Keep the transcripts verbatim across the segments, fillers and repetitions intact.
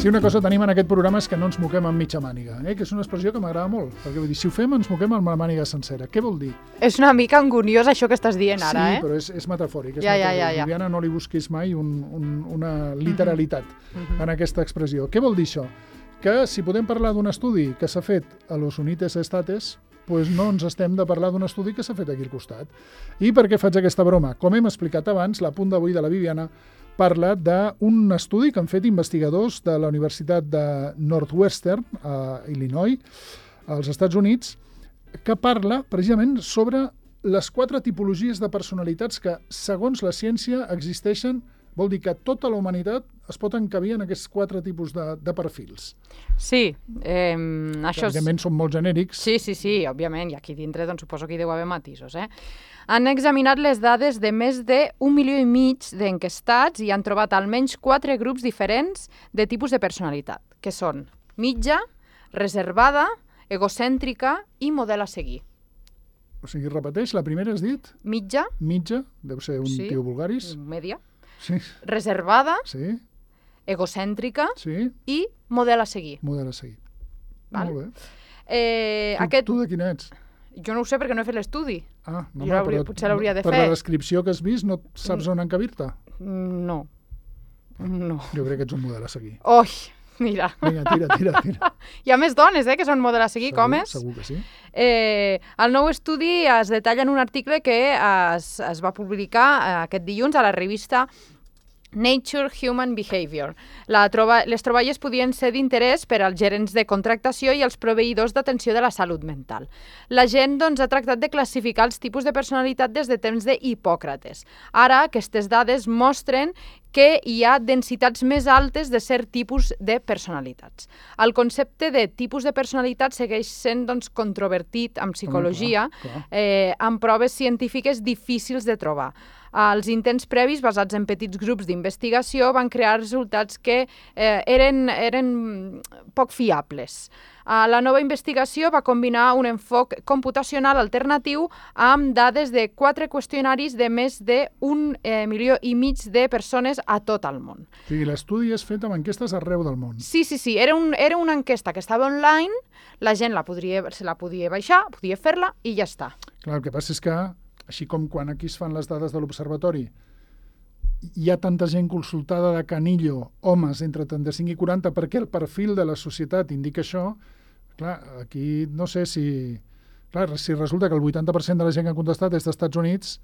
Si una cosa tenim en aquest programa és que no ens moquem amb mitja màniga, eh? Que és una expressió que m'agrada molt, perquè vull dir, si ho fem ens moquem amb la màniga sencera. Què vol dir? És una mica anguniós això que estàs dient ara, sí, eh? Sí, però és, és metafòric. És ja, metafòric. ja, ja, ja. Viviana, no li busquis mai un, un, una literalitat uh-huh. en aquesta expressió. Què vol dir això? Que si podem parlar d'un estudi que s'ha fet a los Unites Estates, doncs no ens estem de parlar d'un estudi que s'ha fet aquí al costat. I per què faig aquesta broma? Com hem explicat abans, l'apunt d'avui de la Viviana parla d'un estudi que han fet investigadors de la Universitat de Northwestern, a Illinois, als Estats Units, que parla precisament sobre les quatre tipologies de personalitats que, segons la ciència, existeixen. Vol dir que tota la humanitat es pot encabir en aquests quatre tipus de, de perfils. Sí. Eh, això és... Òbviament són molt genèrics. Sí, sí, sí, òbviament. I aquí dintre doncs, suposo que hi deu haver matisos. Eh? Han examinat les dades de més d'un milió i mig d'enquestats i han trobat almenys quatre grups diferents de tipus de personalitat, que són mitja, reservada, egocèntrica i model a seguir. O sigui, repeteix, la primera has dit? Mitja. Mitja, deu ser un sí. tio vulgaris. Media. Sí. Reservada. Sí. Egocèntrica. Sí. I model a seguir. Model a seguir. Val? Molt bé. Eh, tu, aquest... tu de quin ets? Jo no ho sé perquè no he fet l'estudi. Ah, no, jo però, potser l'hauria de per fer. Per la descripció que has vist no saps on encabir-te? No. No. Jo crec que ets un model a seguir. Oi, mira. Vinga, tira, tira, tira. Hi ha més dones, eh, que són model a seguir, segur, com és? Segur que sí. Eh, el nou estudi es detalla en un article que es, es va publicar eh, aquest dilluns a la revista Nature Human Behavior. La troba, les troballes podien ser d'interès per als gerents de contractació i els proveïdors d'atenció de la salut mental. La gent doncs, ha tractat de classificar els tipus de personalitat des de temps d'Hipòcrates. Ara, aquestes dades mostren que hi ha densitats més altes de cert tipus de personalitats. El concepte de tipus de personalitat segueix sent doncs, controvertit en psicologia, oh, clar, clar. Eh, amb proves científiques difícils de trobar. Els intents previs, basats en petits grups d'investigació, van crear resultats que eh, eren, eren poc fiables. Uh, la nova investigació va combinar un enfoc computacional alternatiu amb dades de quatre qüestionaris de més d'un eh, milió i mig de persones a tot el món. O sigui, l'estudi és fet amb enquestes arreu del món. Sí, sí, sí. Era, un, era una enquesta que estava online, la gent la podria, se la podia baixar, podia fer-la i ja està. Clar, el que passa és que, així com quan aquí es fan les dades de l'observatori, hi ha tanta gent consultada de canillo, homes entre trenta-cinc i quaranta, perquè el perfil de la societat indica això. Clar, aquí no sé si... Clar, si resulta que el vuitanta per cent de la gent que ha contestat és dels Estats Units,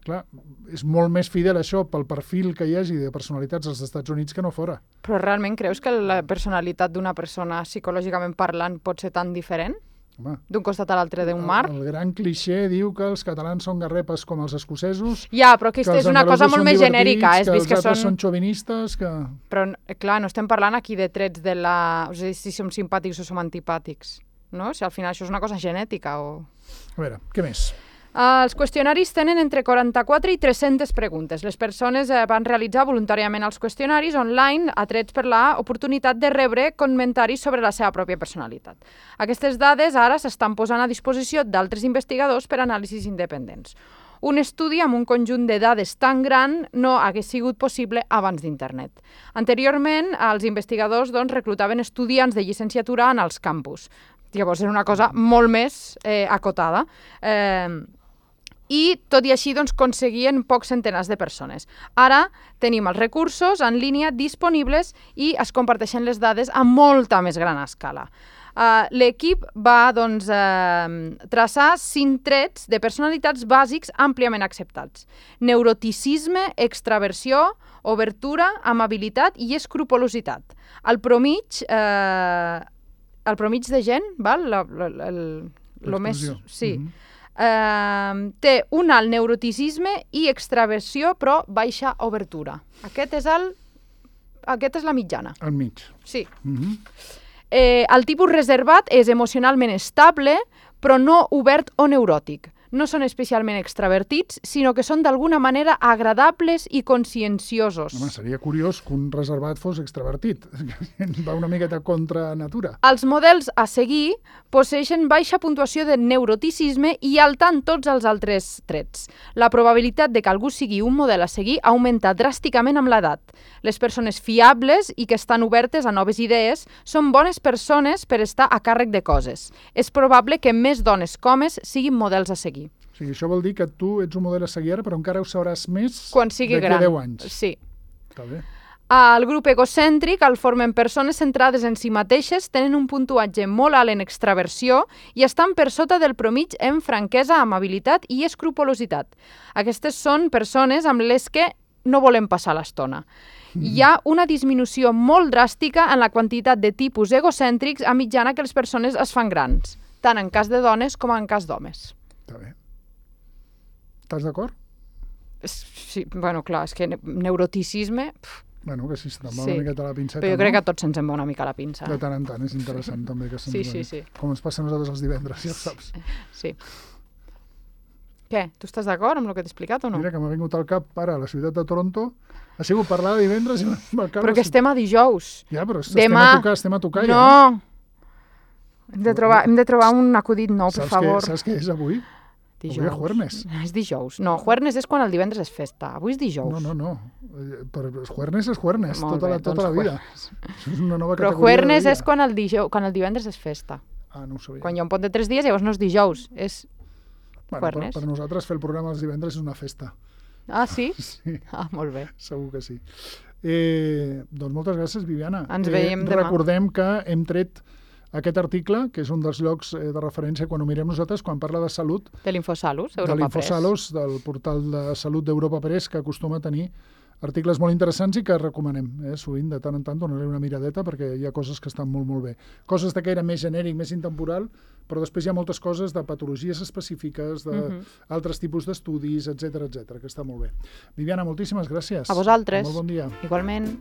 clar, és molt més fidel això pel perfil que hi hagi de personalitats als Estats Units que no fora. Però realment creus que la personalitat d'una persona psicològicament parlant pot ser tan diferent? D'un costat a l'altre d'un mar? El, el gran clixé diu que els catalans són garrepes com els escocesos. Ja, però aquesta és una cosa molt més genèrica. Que els altres són xovinistes. Que... Però, clar, no estem parlant aquí de trets de la... O sigui, si som simpàtics o som antipàtics. No? Si al final això és una cosa genètica o... A veure, què més? Uh, els qüestionaris tenen entre quaranta-quatre i tres-centes preguntes. Les persones uh, van realitzar voluntàriament els qüestionaris online atrets per l'oportunitat de rebre comentaris sobre la seva pròpia personalitat. Aquestes dades ara s'estan posant a disposició d'altres investigadors per anàlisis independents. Un estudi amb un conjunt de dades tan gran no hagués sigut possible abans d'internet. Anteriorment, els investigadors doncs, reclutaven estudiants de llicenciatura en els campus. Llavors era una cosa molt més eh, acotada. Eh, I, tot i així, doncs, aconseguien pocs centenars de persones. Ara tenim els recursos en línia disponibles i es comparteixen les dades a molta més gran escala. Uh, L'equip va doncs, uh, traçar cinc trets de personalitats bàsics àmpliament acceptats. Neuroticisme, extraversió, obertura, amabilitat i escrupolositat. El promig, uh, el promig de gent, val? La, la, la, el, lo més, sí, mm-hmm. Uh, té un alt neuroticisme i extraversió, però baixa obertura. Aquest és, el, aquest és la mitjana. Al mig. Sí. Mm-hmm. eh, el tipus reservat és emocionalment estable, però no obert o neuròtic. no són especialment extravertits, sinó que són d'alguna manera agradables i conscienciosos. Home, seria curiós que un reservat fos extravertit. Va una miqueta contra natura. Els models a seguir posseeixen baixa puntuació de neuroticisme i alta en tots els altres trets. La probabilitat de que algú sigui un model a seguir augmenta dràsticament amb l'edat. Les persones fiables i que estan obertes a noves idees són bones persones per estar a càrrec de coses. És probable que més dones com homes siguin models a seguir. O sigui, això vol dir que tu ets un model a seguir ara, però encara ho sabràs més quan sigui d'aquí gran. a deu anys. Sí. Està bé. El grup egocèntric el formen persones centrades en si mateixes, tenen un puntuatge molt alt en extraversió i estan per sota del promig en franquesa, amabilitat i escrupolositat. Aquestes són persones amb les que no volem passar l'estona. Hi ha una disminució molt dràstica en la quantitat de tipus egocèntrics a mitjana que les persones es fan grans, tant en cas de dones com en cas d'homes. Està bé. Estàs d'acord? Sí, bueno, clar, és que neuroticisme... Pff. Bueno, que sí, se'n va Sí. una miqueta la pinceta, Però jo no? crec que a tots se'ns en va una mica la pinça. De tant en tant, és interessant també que se'ns Sí, va. sí, sí. Com ens passa a nosaltres els divendres, ja ho saps. Sí. Què? Tu estàs d'acord amb el que t'he explicat o no? Mira que m'ha vingut al cap ara a la ciutat de Toronto, ha sigut parlar de divendres i amb el cap... Però que estem a dijous. Ja, però estem Demà... a tocar, estem a tocar ja. No! Hem de trobar, hem de trobar un acudit nou, per Saps favor. Què, saps què és avui? Dijous. Avui és juernes. És dijous. No, juernes és quan el divendres és festa. Avui és dijous. No, no, no. Eh, Per juernes és juernes, Molt tota, bé, la, tota doncs la vida. Això és una nova Però categoria juernes de dia. és quan el, dijous, quan el divendres és festa. Ah, no ho sabia. Quan hi ha un pont de tres dies, llavors no és dijous, és bueno, per, juernes. per nosaltres fer el programa els divendres és una festa. Ah, sí? Sí, Ah, molt bé. segur que sí. Eh, doncs moltes gràcies, Viviana. Ens eh, veiem demà. Recordem que hem tret aquest article, que és un dels llocs eh, de referència quan ho mirem nosaltres, quan parla de salut, De l'Infosalus, de Europa Press. l'Infosalus, del portal de salut d'Europa Press, que acostuma a tenir articles molt interessants i que recomanem. Eh? Sovint, de tant en tant, donar-li una miradeta perquè hi ha coses que estan molt, molt bé. Coses de caire més genèric, més intemporal, però després hi ha moltes coses de patologies específiques, d'altres Mhm. tipus d'estudis, etcètera, etcètera, que està molt bé. Viviana, moltíssimes gràcies. A vosaltres. Molt bon dia. Igualment.